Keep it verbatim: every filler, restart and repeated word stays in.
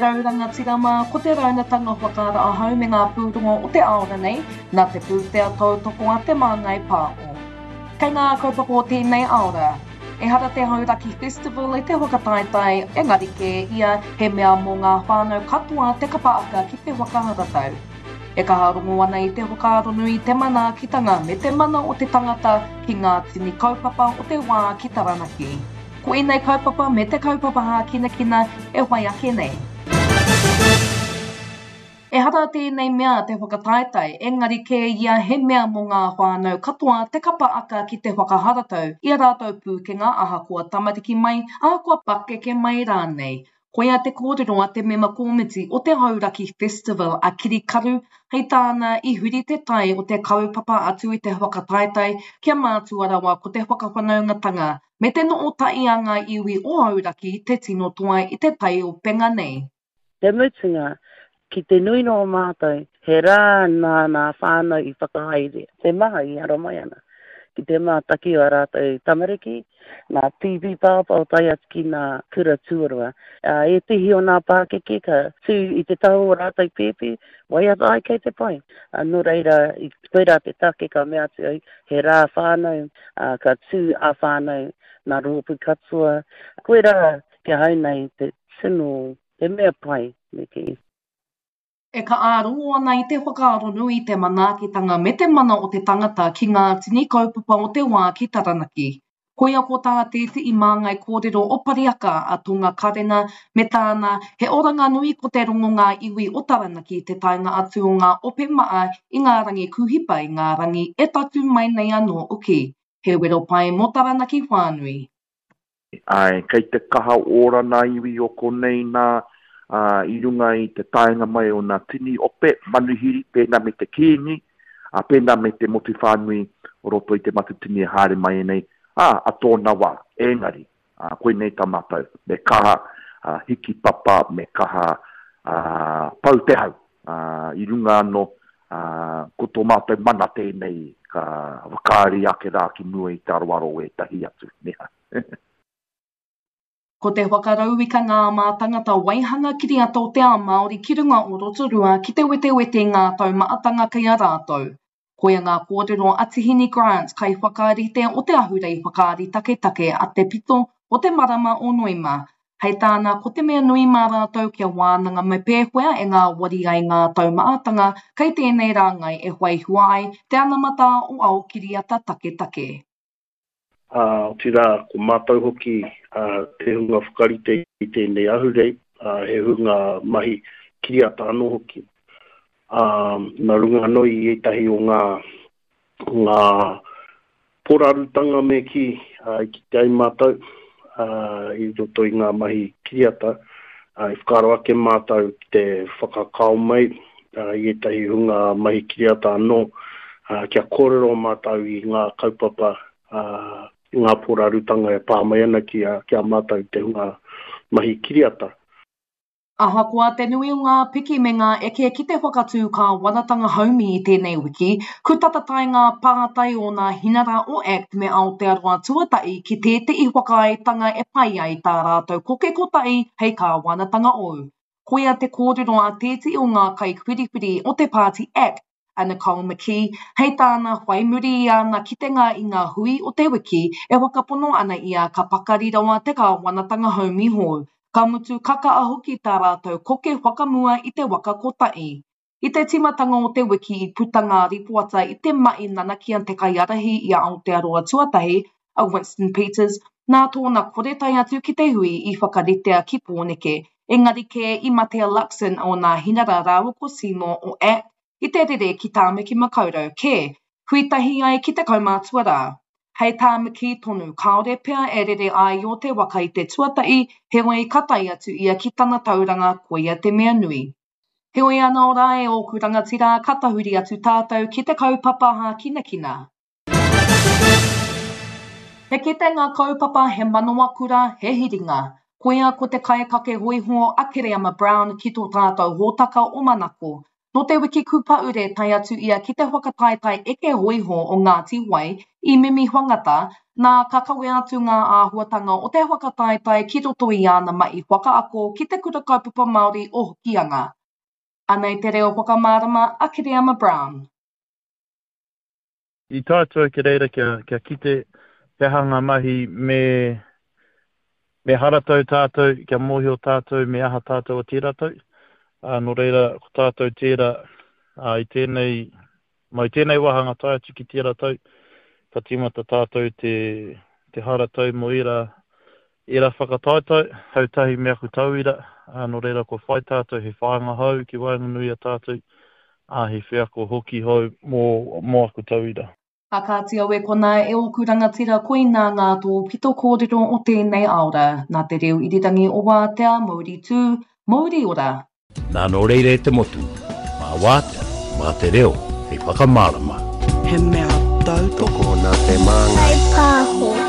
rau rangatira mā, ko te raunatanga whakaara ahau me ngā pūrongo o te aora nei, nā te pūtea tautoko a Te Māngai Pāho. Kei ngā kaupapa o tēnei aora, ehara te Hauraki Festival i te whakataetae, engari kē ia he mea mō ngā whānau katoa te kapa aka ki te whakaharatau. E kaha rongo ana i te whakaaro nui, te manaakitanga me te mana o te tangata ki ngā tini kaupapa o te wā ki Taranaki. Ko ēnei kaupapa me te kaupapa hākinakina e whai ake nei. Ehara tēnei mea te whakataetae, engari kē ia he mea mō ngā whānau katoa te kapa aka ki te whakaharatau i a rātou pūkenga ahakoa tamariki mai, ahakoa pakeke mai rānei. Koia te kōrero a te mema kōmiti o te Hauraki Festival a Kiri Karu, hei tāna i huri te tai o te kaupapa atu i te whakataetae kia mātua rawa ko te whakawhanaungatanga me te no'ota'i a ngā iwi o Hauraki te tino toa i te taiopenga nei. Te mutunga, ki te nui no o mātou, he rā nā nā whānau i whakahaere, te maha i haramai ana ki te mātaki o a rātou tamariki, nā pīpī pāpā o tae atu ki nā kura tuarua. Ā, ētehi o nā pākeke ka tū i te taha o rātou pēpi, waiata ai kei te pai. Ā, nō reira, i koirā te take ka mea atu ai, he rā whānau, ā, ka tū a whānau, nā rōpū katoa. Koirā ki ahau nei te tino, te mea pai, me kī. E kaha rongo ana i te whakaaro nui, te manaakitanga me te mana o te tangata ki ngā tini kaupapa o te wā ki Taranaki. Koia ko tā tētehi māngai kōrero o Pariaka a Tonga Karena me tāna he oranga nui ko te rongo ngā iwi o Taranaki te taenga atu o ngā ope maa i ngā rangi kūhipa i ngā rangi e tatū mai nei anō hoki. He wero pai mō Taranaki whānui. Āe, kei te kaha ora nā iwi o konei nā, ā, i runga i te taenga mai o nā tini ope manuhiri, pēnā me te Kīngi, ā, pēnā me te motu whānui o roto i te Matatini e haere mai nei, ā, a tōna wā. Engari, ā, koinei tā mātou, me kaha, ā, hiki papa, me kaha, ā, pau te hau, ā, i runga anō, ā, ko tō mātou mana tēnei ka whakaari ake rā ki mua i te aroaro o ētahi atu, nē hā. Ko te whakarauika ngā mātangata waihanga kiriata o te ao Māori ki runga o Rotorua ki te wetewete i ngā taumahatanga kei a rātou. Koia ngā kōrero a Tihini Grant, kaiwhakarite o te ahurei whakaari taketake a Te Pito o te marama o Noema. Hei tāna, ko te mea nui mā rātou kia wānanga me pēwhea e ngāwari ai ngā taumahatanga kei tēnei rāngai e whai hua ai te anamata o ao kiriata taketake. Ā, otirā, ko mātou hoki te hunga whakarite i tēnei ahurei, ā, he hunga mahi kiriata anō hoki. Ā, nā runga anō i ētahi o ngā, ngā porarutanga me kī, ā, i kite ai mātou, ā, i roto i ngā mahi kiriata, ā, i whakaaro ake mātou ki te whakakao mai, ā, i ētahi hunga mahi kiriata anō, ā, kia kōrero mātou i ngā kaupapa, ā, i ngā porarutanga e pā mai ana ki a, ki a mātou te hunga mahi kiriata. Ahakoa te nui o ngā piki me ngā eke ki te whakatū kāwanatanga haumi i tēnei wiki, ku tata tae ngā pātai o nā hinara o ACT me Aotearoa Tuatahi ki tētehi whakaaetanga e pai ai tā rātou koke kotahi hei kāwanatanga ou. Koia te kōrero a tētehi o ngā kaikwhiriwhiri o te pāti ACT, a Nicole McKee, hei tāna whai muri i āna kitenga i ngā hui o te wiki e whakapono ana ia ka pakari rawa te kāwanatanga haumi hou, ka mutu ka kaha hoki tā rātou koke whakamua i te waka kotahi. I te tīmatanga o te wiki i puta ngā ripoata i te mahi nanakia te kaiārahi i a Aotearoa Tuatahi, a Winston Peters, nā tōna kore tae atu ki te hui i whakaritea ki Pōneke, engari kē i mate a Luxon o nā Hinara rāua ko Seymour o ACT i te rere ki Tāmaki Makaurau kē, hui tahi ai ki te kaumātua rā. Hei tā McKee tonu, kāore pea e rere āio te waka i te tuatahi, heoi ka tae atu ia ki tana tauranga koia te mea nui. Heoi anō rā e ōku rangatira, ka tahuri atu tātou ki te kaupapa hākinakina. He kitenga kaupapa, he manawa kura, he hiringa. Koia ko te kaikake hōiho a Kereama Brown ki tō tātou hōtaka o Manako. Nō te wiki kūpaure tae atu ia ki te whakataetae eke hōiho o Ngāti Wai i Mimiwhangata, nā ka kawea atu ngā āhuatanga o te whakataetae ki roto i āna mahi whakaako ki Te Kura Kaupapa Māori o Hokianga. Anei te reo whakamārama a Kereama Brown. I tae atu au ki reira kia, kia kite he aha ngā mahi me, me haratau tātou, kia mōhio tātou me aha tātou o tērā tau. Ā, nō reira, ko tātou tērā, ā, i tēnei, mai tēnei wāhanga tae atu ki tērā tau, ka tīmata tātou te, te haratau mō ērā, ērā whakataetae, hau tahi me aku tauira, ā, nō reira kua whai tātou he whāinga hou ki waenganui i a tātou, ā, he wheako hoki hou mō, mō aku tauira. A kāti au e konā e ōku rangatira koinā ngā tōpito kōrero o tēnei aora, nā te reo irirangi o Wātea, Mauri tū, Mauri ora. Nā nō reira e te motu, mā Wātea, mā te reo hei whakamārama. He mea tautoko nā te māngai. Whai pāho.